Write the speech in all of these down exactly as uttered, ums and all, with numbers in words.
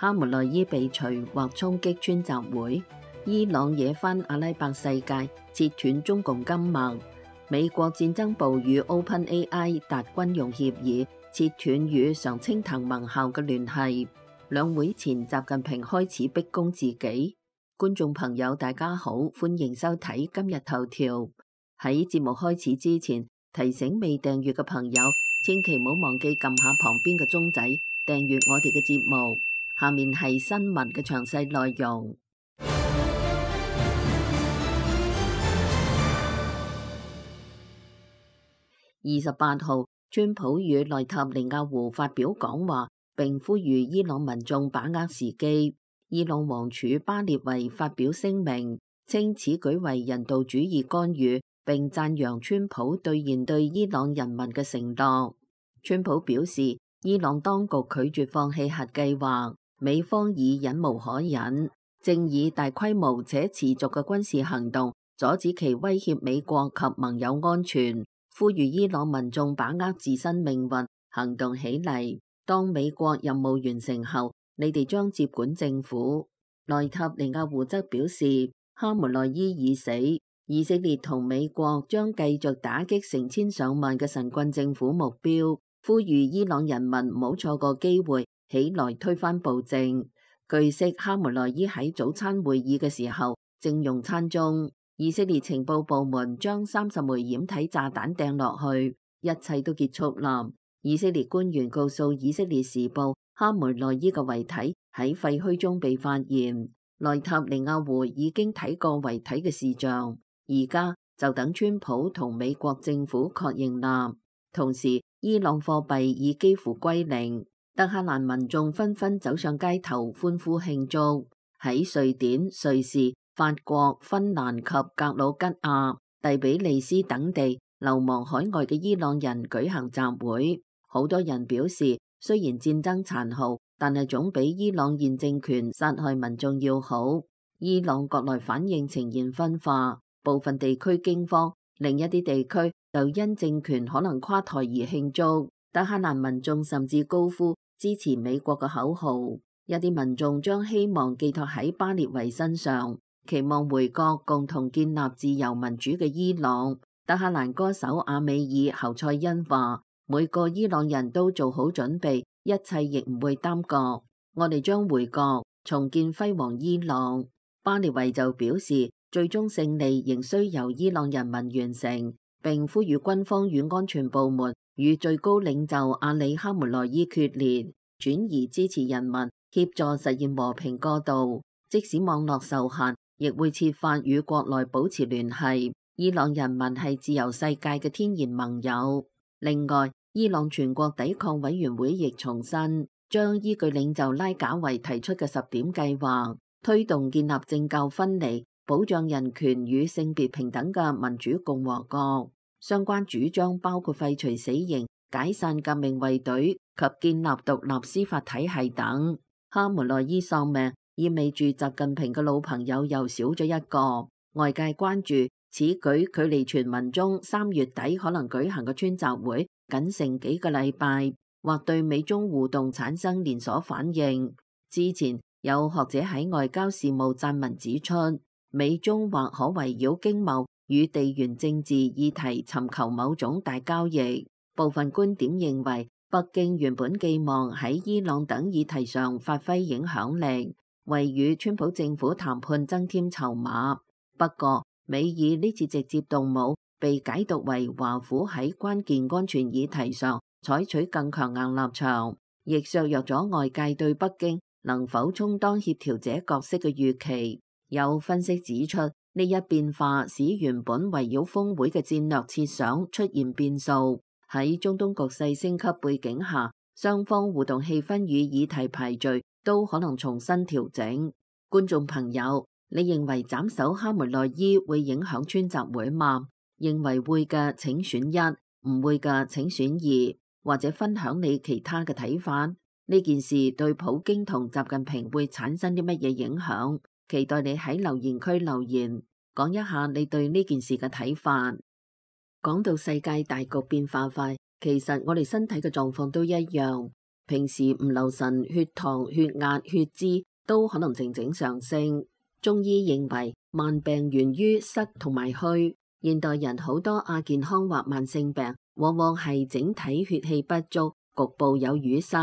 哈梅內伊被除或衝擊川習會，伊朗惹翻阿拉伯世界，切斷中共金脈。美國戰爭部與 OpenAI 達軍用協議，切斷與常青藤盟校嘅聯繫。兩會前，習近平開始逼宮自己。觀眾朋友，大家好，歡迎收睇今日頭條。喺節目開始之前，提醒未訂閱嘅朋友，千祈唔好忘記撳下旁邊嘅鐘仔，訂閱我哋嘅節目。下面係新聞嘅詳細內容。二十八號，川普與內塔尼亞胡發表講話，並呼籲伊朗民眾把握時機。伊朗王儲巴列維發表聲明，稱此舉為人道主義干預，並讚揚川普兌現對伊朗人民嘅承諾。川普表示，伊朗當局拒絕放棄核計劃，美方已忍無可忍，正以大規模且持續嘅軍事行動阻止其威脅美國及盟友安全。呼籲伊朗民眾把握自身命運，行動起嚟。當美國任務完成後，你哋將接管政府。內塔尼亞胡則表示，哈梅內伊已死，以色列同美國將繼續打擊成千上萬嘅神棍政府目標，呼籲伊朗人民唔好錯過機會，起來推翻暴政。據悉，哈梅內伊喺早餐會議嘅時候正用餐中。以色列情報部門將三十枚掩體炸彈掟落去，一切都結束啦。以色列官員告訴以色列時報，哈梅內伊嘅遺體喺廢墟中被發現。內塔尼亞胡已經睇過遺體嘅視像，而家就等川普同美國政府確認啦。同時，伊朗貨幣已幾乎歸零，德黑蘭民眾紛紛走上街頭歡呼慶祝。喺瑞典、瑞士、法國、芬蘭及格魯吉亞、第比利斯等地流亡海外嘅伊朗人舉行集會，好多人表示，雖然戰爭殘酷，但係總比伊朗現政權殺害民眾要好。伊朗國內反應呈現分化，部分地區驚慌，另一啲地區就因政權可能垮台而慶祝。德黑蘭民眾甚至高呼支持美國嘅口號，一啲民眾將希望寄託喺巴列維身上，期望回國共同建立自由民主嘅伊朗。德黑蘭歌手阿美爾侯賽因話，每個伊朗人都做好準備，一切亦唔會耽擱，我哋將回國重建輝煌伊朗。巴列維就表示，最終勝利仍需由伊朗人民完成，並呼籲軍方與安全部門與最高領袖阿里哈梅內伊決裂，轉移支持人民，協助實現和平過渡。即使網絡受限，亦會設法與國內保持聯繫。伊朗人民係自由世界嘅天然盟友。另外，伊朗全國抵抗委員會亦重申，將依據領袖拉賈維提出嘅十點計劃，推動建立政教分離、保障人權與性別平等嘅民主共和國。相關主張包括廢除死刑、解散革命衛隊及建立獨立司法體系等。哈梅內伊喪命，意味住習近平嘅老朋友又少咗一個。外界關注此舉距離傳聞中三月底可能舉行嘅川習會僅剩幾個禮拜，或對美中互動產生連鎖反應。之前有學者喺外交事務撰文指出，美中或可圍繞經貿與地緣政治議題尋求某種大交易。部分觀點認為，北京原本寄望喺伊朗等議題上發揮影響力，為與川普政府談判增添籌碼。不過，美以呢次直接動武被解讀為華府喺關鍵安全議題上採取更強硬立場，亦削弱咗外界對北京能否充當協調者角色嘅預期。有分析指出，呢一變化使原本圍繞峰會嘅戰略設想出現變數。喺中東局勢升級背景下，雙方互動氣氛與議題排序都可能重新調整。觀眾朋友，你認為斬首哈梅內伊會影響川習會嗎？認為會嘅請選一，唔會嘅請選二，或者分享你其他嘅睇法。呢件事對普京同習近平會產生啲乜嘢影響？期待你喺留言區留言，講一下你對呢件事嘅睇法。講到世界大局變化快，其實我哋身體嘅狀況都一樣。平時唔留神，血糖、血壓、血脂都可能靜靜上升。中醫認為慢病源於塞同埋虛，現代人好多亞健康或慢性病，往往係整體血氣不足，局部有淤塞，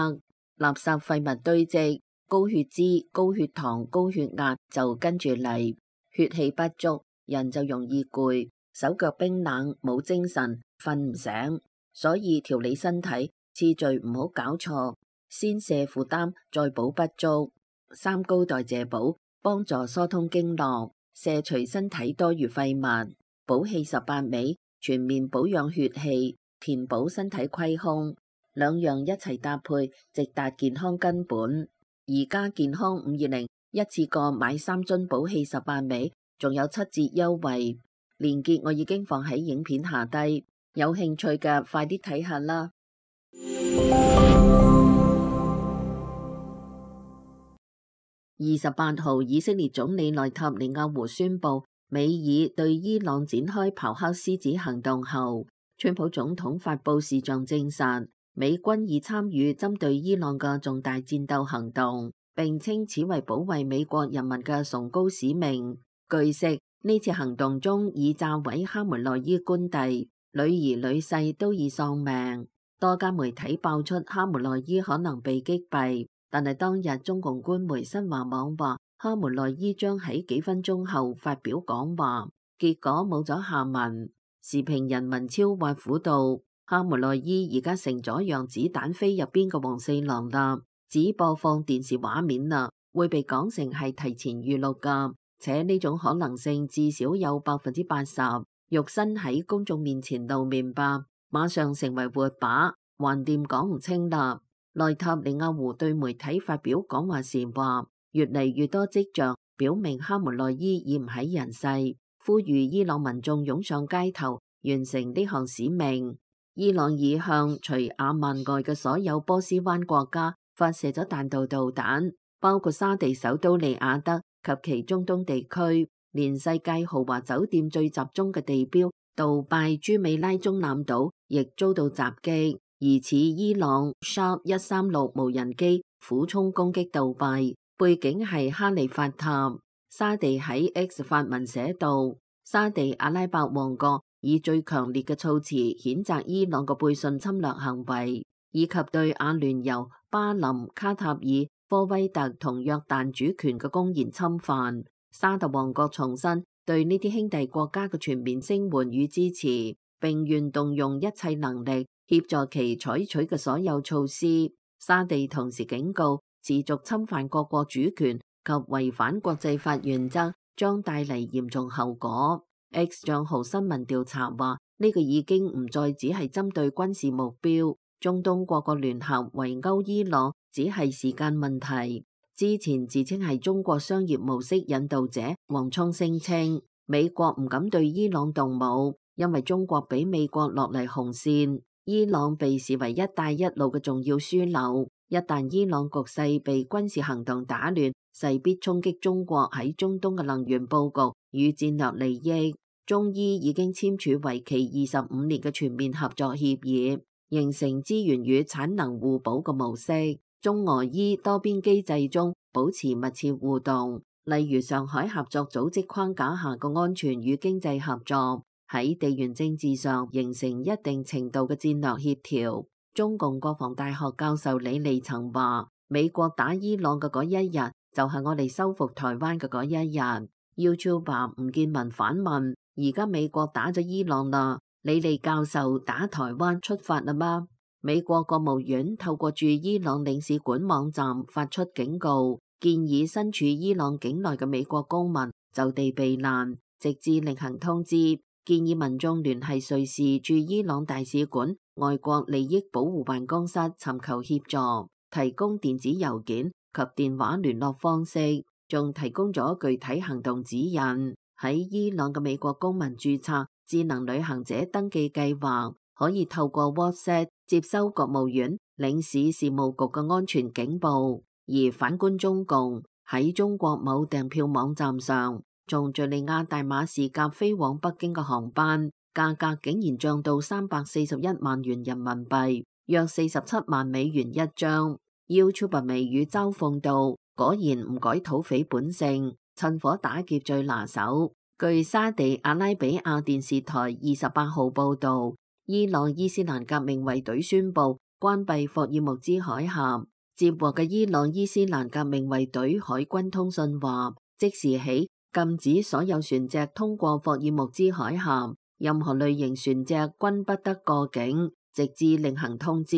垃圾廢物堆積，高血脂、高血糖、高血壓就跟住嚟。血氣不足，人就容易攰，手腳冰冷，冇精神，瞓唔醒。所以調理身體次序唔好搞錯，先瀉負擔，再補不足。三高代謝補幫助疏通經絡，瀉除身體多餘廢物。補氣十八味全面保養血氣，填補身體虧空，兩樣一齊搭配，直達健康根本。而家健康五二零一次過買三樽補氣十八味，仲有七折優惠，鏈接我已經放喺影片下低，有興趣嘅快啲睇下啦。二十八號，以色列總理內塔尼亞胡宣布，美以對伊朗展開咆哮獅子行動後，川普總統發布視像證實，美軍已參與針對伊朗嘅重大戰鬥行動，並稱此為保衛美國人民嘅崇高使命。據悉，呢次行動中已炸毀哈梅內伊官邸，女兒女婿都已喪命。多家媒體爆出哈梅內伊可能被擊斃。但係當日中共官媒新華網話，哈梅內伊將喺幾分鐘後發表講話，結果冇咗下文。時評人文超挖苦道，哈梅內伊而家成咗讓子彈飛入邊嘅黃四郎啦，只播放電視畫面啦，會被講成係提前預錄噶，且呢種可能性至少有百分之八十。肉身喺公眾面前露面吧，馬上成為活靶，橫掂講唔清啦。內塔尼亞胡對媒體發表講話時話，越嚟越多跡象表明哈梅內伊已唔喺人世，呼籲伊朗民眾湧上街頭完成呢項使命。伊朗已向除阿曼外嘅所有波斯灣國家發射咗彈道導彈，包括沙地首都利雅得及其中東地區，連世界豪華酒店最集中嘅地標杜拜朱美拉中南島亦遭到襲擊。疑似伊朗 Shark 一三六無人機俯衝攻擊杜拜，背景係哈利法塔。沙地喺 X 發文寫道，沙地阿拉伯王國以最強烈嘅措辭譴責伊朗嘅背信侵略行為，以及對阿聯酋、巴林、卡塔爾、科威特同約旦主權嘅公然侵犯。沙特王國重申對呢啲兄弟國家嘅全面聲援與支持，並願動用一切能力協助其採取嘅所有措施。沙地同時警告，持續侵犯各國主權及違反國際法原則將帶嚟嚴重後果。X 賬號新聞調查話，呢個已經唔再只係針對軍事目標，中東各國聯合圍毆伊朗只係時間問題。之前自稱係中國商業模式引導者王聰聲稱，美國唔敢對伊朗動武，因為中國俾美國落嚟紅線。伊朗被視為一帶一路嘅重要樞紐，一旦伊朗局勢被軍事行動打亂，勢必衝擊中國喺中東嘅能源佈局與戰略利益。中伊已經簽署為期二十五年嘅全面合作協議，形成資源與產能互補嘅模式。中俄伊多邊機制中保持密切互動，例如上海合作組織框架下嘅安全與經濟合作。喺地緣政治上形成一定程度嘅戰略協調。中共國防大學教授李利曾話，美國打伊朗嘅嗰一日，就係我哋收復台灣嘅嗰一日。YouTuber 吳建文反問：而家美國打咗伊朗啦，李利教授打台灣出發啦嗎？美國國務院透過駐伊朗領事館網站發出警告，建議身處伊朗境內嘅美國公民就地避難，直至另行通知。建議民眾聯繫瑞士駐伊朗大使館外國利益保護辦公室尋求協助，提供電子郵件及電話聯絡方式，仲提供咗具體行動指引。喺伊朗嘅美國公民註冊智能旅行者登記計劃，可以透過 WhatsApp 接收國務院領事事務局嘅安全警報。而反觀中共喺中國某訂票網站上，從敘利亞大馬士革飛往北京嘅航班價格竟然漲到三百四十一萬元人民幣，約四十七萬美元一張。YouTuber 微語嘲諷道：果然唔改土匪本性，趁火打劫最拿手。據沙地阿拉比亞電視台二十八號報導，伊朗伊斯蘭革命衛隊宣布關閉霍爾木茲海峽。接獲嘅伊朗伊斯蘭革命衛隊海軍通訊話，即時起禁止所有船隻通過霍爾木茲海峽，任何類型船隻均不得過境，直至另行通知。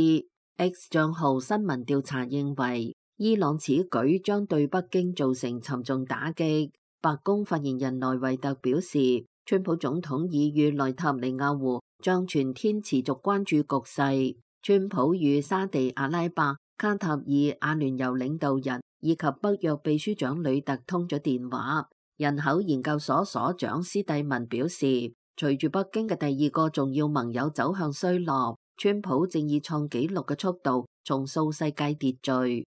X 賬號新聞調查認為，伊朗此舉將對北京造成沉重打擊。白宮發言人萊維特表示，川普總統已與內塔尼亞胡將全天持續關注局勢。川普與沙地阿拉伯、卡塔爾、阿聯酋領導人以及北約秘書長呂特通咗電話。人口研究所所長斯蒂文表示，隨住北京嘅第二個重要盟友走向衰落，川普正以創紀錄嘅速度重塑世界秩序。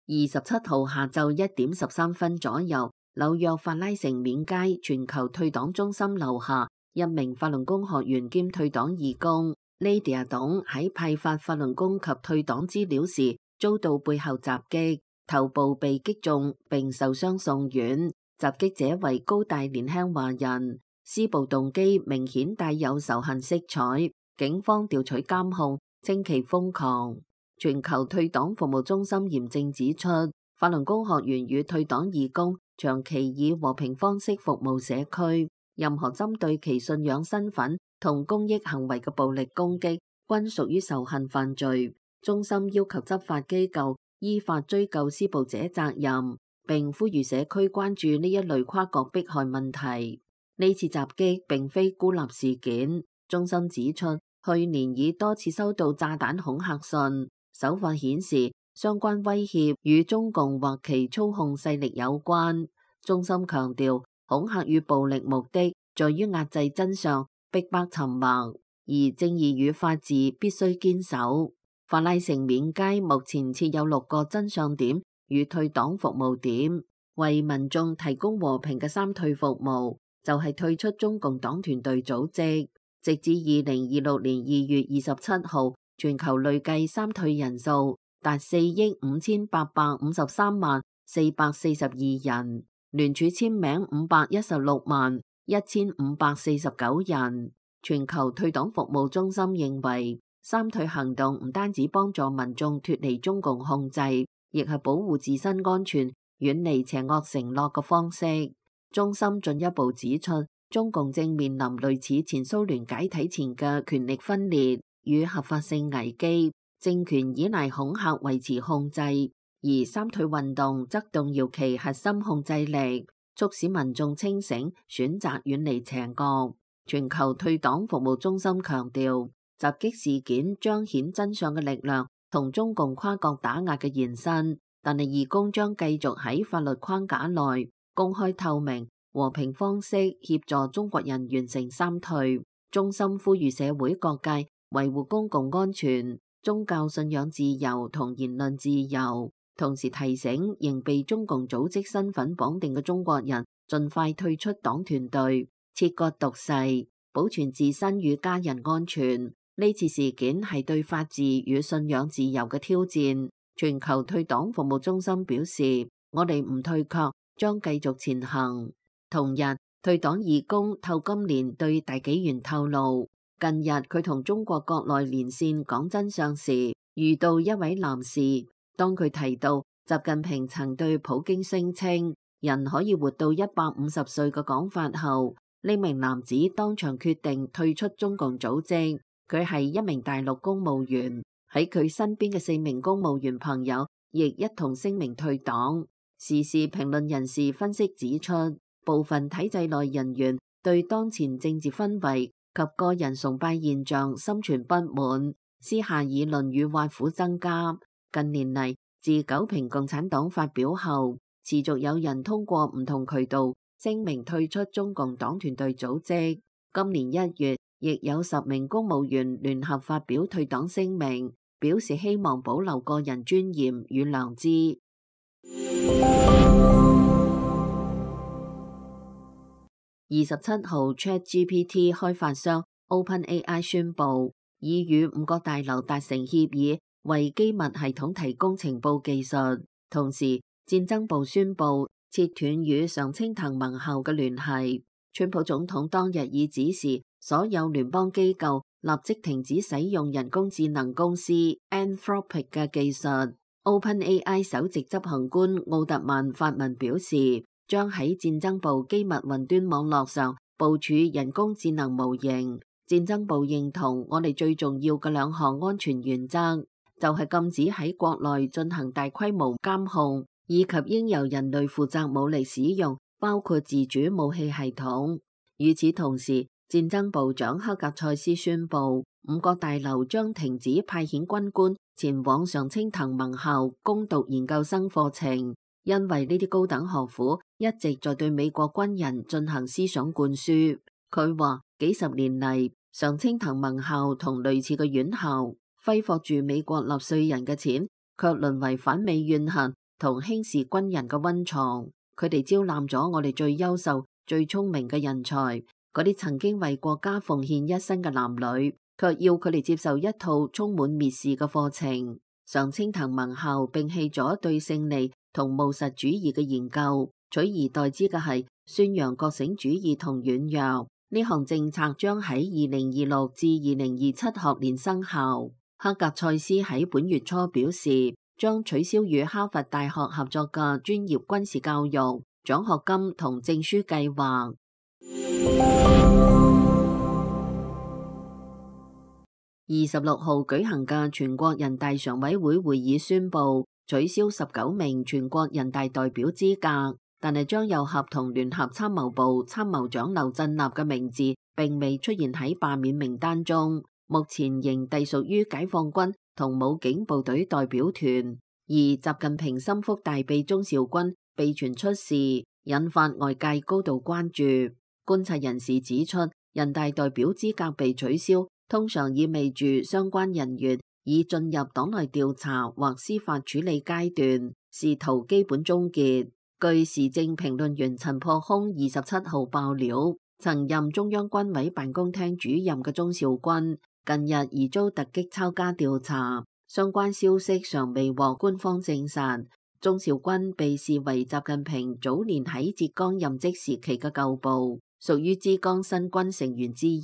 二十七號下晝一點十三分左右，紐約法拉盛緬街全球退黨中心樓下，一名法輪功學員兼退黨義工 Lydia 董喺派發法輪功及退黨資料時遭到背後襲擊，頭部被擊中並受傷送院。襲擊者為高大年輕華人，施暴動機明顯帶有仇恨色彩。警方調取監控，稱其瘋狂。全球退黨服務中心嚴正指出，法輪功學員與退黨義工長期以和平方式服務社區，任何針對其信仰身份同公益行為嘅暴力攻擊均屬於仇恨犯罪。中心要求執法機構依法追究施暴者責任，並呼籲社區關注呢一類跨國迫害問題。呢次襲擊並非孤立事件，中心指出，去年已多次收到炸彈恐嚇信。手法顯示相關威脅與中共或其操控勢力有關。中心強調，恐嚇與暴力目的在於壓制真相、逼迫沉默，而正義與法治必須堅守。法拉盛緬街目前設有六個真相點與退黨服務點，為民眾提供和平嘅三退服務，就係、是、退出中共黨團隊組織。直至二零二六年二月二十七號，全球累計三退人數達四億五千八百五十三萬四百四十二人，聯署簽名五百一十六萬一千五百四十九人。全球退黨服務中心認為，三退行動唔單止幫助民眾脫離中共控制，亦係保護自身安全、遠離邪惡承諾嘅方式。中心進一步指出，中共正面臨類似前蘇聯解體前嘅權力分裂與合法性危機，政權依賴恐嚇維持控制，而三退運動則動搖其核心控制力，促使民眾清醒，選擇遠離邪惡。全球退黨服務中心強調，襲擊事件彰顯真相嘅力量同中共跨國打壓嘅延伸，但係義工將繼續喺法律框架內公開透明、和平方式協助中國人完成三退。中心呼籲社會各界維護公共安全、宗教信仰自由同言論自由，同時提醒仍被中共組織身份綁定嘅中國人盡快退出黨團隊，切割毒誓，保存自身與家人安全。呢次事件係對法治與信仰自由嘅挑戰。全球退黨服務中心表示，我哋唔退卻，將繼續前行。同日，退黨義工透金蓮對大紀元透露，近日佢同中國國內連線講真相時，遇到一位男士。當佢提到習近平曾對普京聲稱人可以活到一百五十歲嘅講法後，呢名男子當場決定退出中共組織。佢係一名大陸公務員，喺佢身邊嘅四名公務員朋友亦一同聲明退黨。時事評論人士分析指出，部分體制內人員對當前政治氛圍及個人崇拜現象心存不滿，私下議論與挖苦增加。近年嚟，自九平共產黨發表後，持續有人通過唔同渠道聲明退出中共黨團隊組織。今年一月，亦有十名公務員聯合發表退黨聲明，表示希望保留個人尊嚴與良知。二十七號 ChatGPT 開發商 OpenAI 宣布，已與五角大樓達成協議，為機密系統提供情報技術。同時，戰爭部宣布切斷與常青藤盟校嘅聯繫。川普總統當日已指示所有聯邦機構立即停止使用人工智能公司 Anthropic 嘅技術。OpenAI 首席執行官奧特曼發文表示，將喺戰爭部機密雲端網絡上部署人工智能模型。戰爭部認同我哋最重要嘅兩項安全原則，就係禁止喺國內進行大規模監控，以及應由人類負責武力使用，包括自主武器系統。與此同時，戰爭部長克格塞斯宣布，五角大樓將停止派遣軍官前往常青藤盟校攻讀研究生課程，因為呢啲高等學府一直在對美國軍人進行思想灌輸。佢話幾十年嚟，常青藤盟校同類似嘅院校揮霍住美國納稅人嘅錢，卻淪為反美怨恨同輕視軍人嘅溫床。佢哋招攬咗我哋最優秀、最聰明嘅人才，嗰啲曾經為國家奉獻一生嘅男女，卻要佢哋接受一套充滿蔑視嘅課程。常青藤盟校摒棄咗對勝利同務實主義嘅研究，取而代之嘅係宣揚覺醒主義同軟弱。呢項政策將喺二零二六至二零二七學年生效。克格塞斯喺本月初表示，將取消與哈佛大學合作嘅專業軍事教育獎學金同證書計劃。二十六號舉行嘅全國人大常委會會議宣布取消十九名全國人大代表資格，但係張又俠同聯合參謀部參謀長劉振立嘅名字並未出現喺罷免名單中，目前仍隸屬於解放軍同武警部隊代表團。而習近平心腹大秘鍾兆軍被傳出事，引發外界高度關注。觀察人士指出，人大代表資格被取消，通常意味住相關人員已進入黨內調查或司法處理階段，仕途基本終結。據時政評論員陳破空二十七號爆料，曾任中央軍委辦公廳主任嘅鍾兆軍近日疑遭突擊抄家調查，相關消息尚未獲官方證實。鍾兆軍被視為習近平早年喺浙江任職時期嘅舊部，屬於浙江新軍成員之一。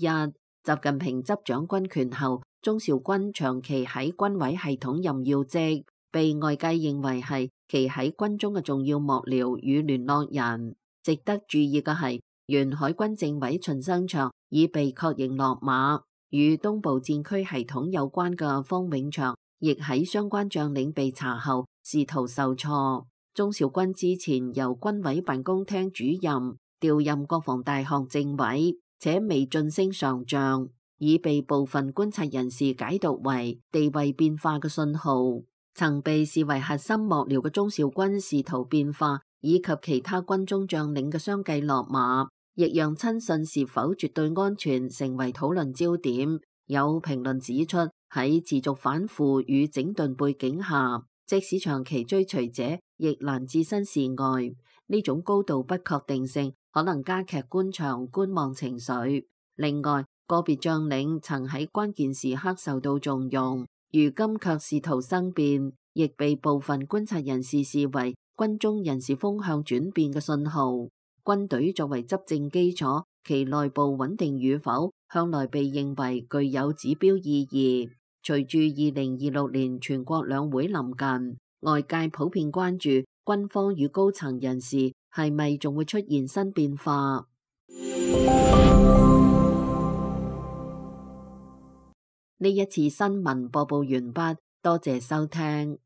習近平執掌軍權後，鍾兆軍長期喺軍委系統任要職，被外界認為係其喺軍中嘅重要幕僚與聯絡人。值得注意嘅係，原海軍政委秦生祥已被確認落馬，與東部戰區系統有關嘅方永祥亦喺相關將領被查後仕途受挫。鍾兆軍之前由軍委辦公廳主任調任國防大學政委，且未晉升上將，已被部分觀察人士解讀為地位變化嘅信號。曾被視為核心幕僚嘅鍾兆軍仕途變化，以及其他軍中將領嘅相繼落馬，亦讓親信是否絕對安全成為討論焦點。有評論指出，喺持續反腐與整頓背景下，即使長期追隨者亦難置身事外。呢種高度不確定性可能加劇官場觀望情緒。另外，個別將領曾喺關鍵時刻受到重用，如今卻仕途生變，亦被部分觀察人士視為軍中人事風向轉變嘅信號。軍隊作為執政基礎，其內部穩定與否向來被認為具有指標意義。隨住二零二六年全國兩會臨近，外界普遍關注軍方與高層人士係咪仲會出現新變化。呢一次新聞播報完畢，多謝收聽。